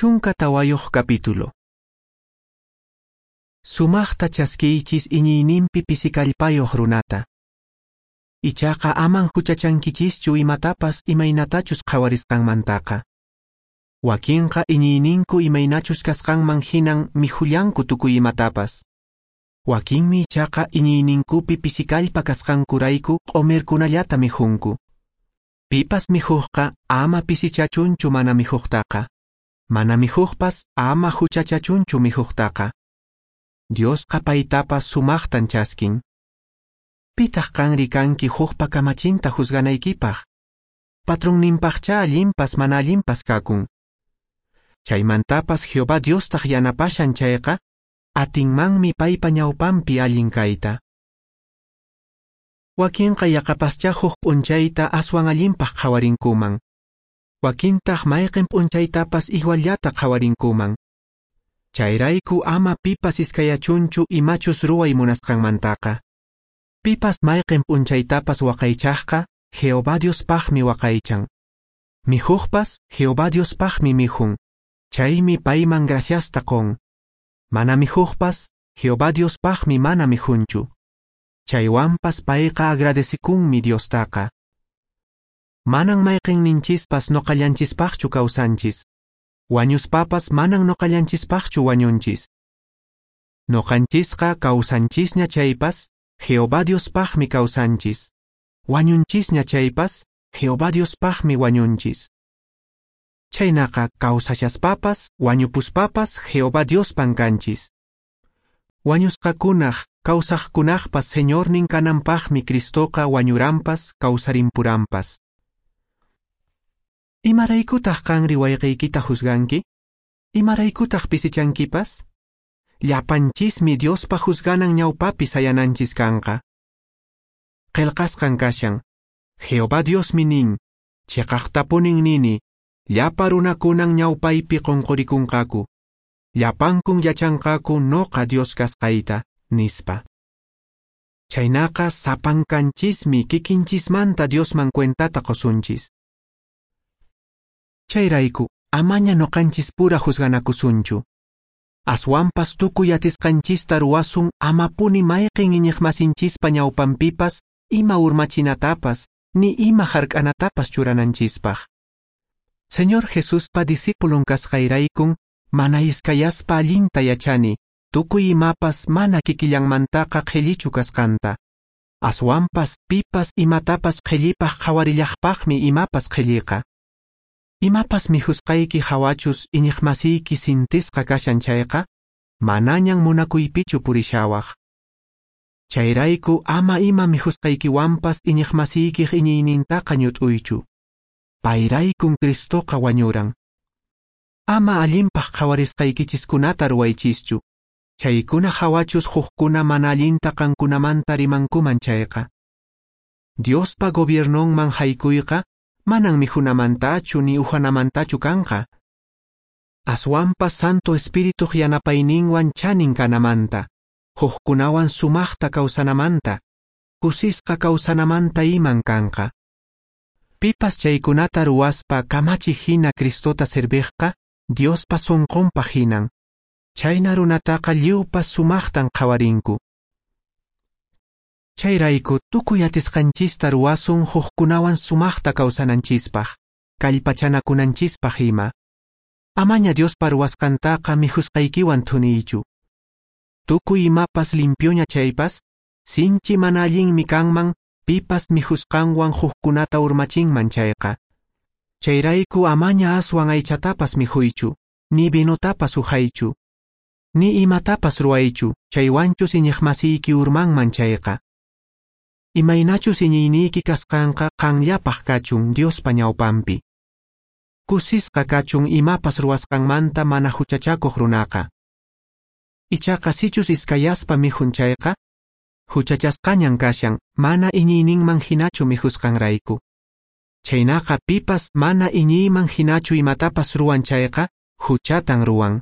14 capítulo. Sumaqta chaskiychis iñiyninpi pisikallpayuq runata. Ichaqa aman huchachankichischu imatapas imaynatachus qhawarisqanmantaqa. Wakinqa iñiyninku imaynachus kasqanman hinan mikhullanku tukuy imatapas. Wakinmi ichaqa iñiyninkupi pisikallpa kasqankurayku q'umirkunallata mikhunku. Pipas mikhuqqa ama pisichachunchu mana mikhuqtaqa. Mana mikhuqpas ama huchachachunchu mikhuqtaqa. Diosqa paytapas sumaqtan chaskin. Pitaq qanri kanki hukpa kamachinta juzganaykipaq. Patronninpaqcha allinpas mana allinpas kakun. Chaymantapas Jehová Diostaq yanapashan chayqa, atinmanmi paypa ñawpanpi allin kayta. Wakinqa yaqapascha huk p'unchayta aswan allinpaq qhawarinkuman. Wakintaq mayqin p'unchaytapas iguallata qhawarinkuman. Chayrayku ama pipas iskayachunchu imachus ruway munasqanmantaqa. Pipas mayqin p'unchaytapas waqaychaqqa Jehová Diospaqmi waqaychan. Mikhuqpas Jehová Diospaqmi mikhun. Chaymi payman graciasta qun. Mana mikhuqpas Jehová Diospaqmi mana mikhunchu. Chaywanpas payqa agradecikunmi Diostaqa. Manan mayqinninchispas noqallanchispaqchu kawsanchis. Wañuspapas manan noqallanchispaqchu wañunchis. Noqanchisqa kawsanchisña chaypas Jehová Diospaqmi kawsanchis. Wañunchisña chaypas Jehová Diospaqmi wañunchis. Chaynaqa kawsashaspapas wañupuspapas Jehová Diospan kanchis. Wañusqakunaq kawsaqkunaqpas Señornin kananpaqmi Cristoqa wañuranpas kawsarimpuranpas. Imaraykutaq qanri wayqiykita juzganki? Imaraykutaq pisichankipas? Llapanchismi Diospa juzganan ñawpapi sayananchis kanqa. Qillqasqan kashan. Jehová Diosmi nin, chiqaqtapunin nini, llapa runakunan ñawpaypi qunqurikunqaku. Llapankun yachanqaku noqa Dios kasqayta, nispa. Chaynaqa sapankanchismi kikinchismanta Diosman cuentata qusunchis. Chayrayku, amaña noqanchis pura juzganakusunchu. Aswanpas tukuy atisqanchista ruwasun amapuni mayqin iñiqmasinchispa ñawpanpipas ima urmachinatapas ni ima hark'anatapas churananchispaq. Señor Jesuspa discipulon kasqayraykun mana iskayaspa allinta yachani tukuy imapas mana kikillanmantaqa qhillichu kasqanta. Aswanpas pipas imatapas qhillipaq qhawarillaqpaqmi imapas qhilliqa. Imapas mikhusqayki hawachus iñiqmasiyki sintisqa kashan chayqa, manañan munakuypichu purishawaq. Chayrayku ama ima mikhusqaykiwanpas iñiqmasiykiq iñiynintaqa ñut'uychu. Payraykun Cristoqa wañuran. Ama allinpaq qhawarisqaykichiskunata ruwaychischu. Chaykuna hawachus hukkuna mana allinta qankunamanta rimankuman chayqa. Diospa gobiernonman haykuyqa manan mikhunamantachu ni uhanamantachu kanqa. Aswanpas Santo Espirituq yanapayninwan chanin kanamanta, hukkunawan sumaqta kawsanamanta, kusisqa kawsanamanta iman kanqa. Pipas chaykunata ruwaspa kamachi hina Cristota serviqqa, Diospa sunqunpaq hinan. Chayna runataqa lliwpas sumaqtan qhawarinku. Chayrayku tukuy atisqanchista ruwasun hukkunawan sumaqta kawsananchispaq, kallpachanakunanchispaq ima. Amaña Diospa ruwasqantaqa mikhusqaykiwan thuniychu. Tukuy imapas limpioña chaypas, sinchi mana allinmi kanman pipas mikhusqanwan hukkunata urmachinman chayqa. Chayrayku amaña aswan aychatapas mikhuychu, ni vinotapas uhaychu, ni imatapas ruwaychu, chaywanchus iñiqmasiyki urmanman chayqa. Imaynachus iñiyniyki kasqanqa qanllapaq kachun Diospa ñawpanpi. Kusisqa kachun imapas ruwasqanmanta mana huchachakuq runaqa. Ichaqa sichus iskayaspa mikhun chayqa, huchachasqañan kashan mana iñiyninman hinachu mikhusqanrayku. Chaynaqa pipas mana iñiyman hinachu imatapas ruwan chayqa, huchatan ruwan.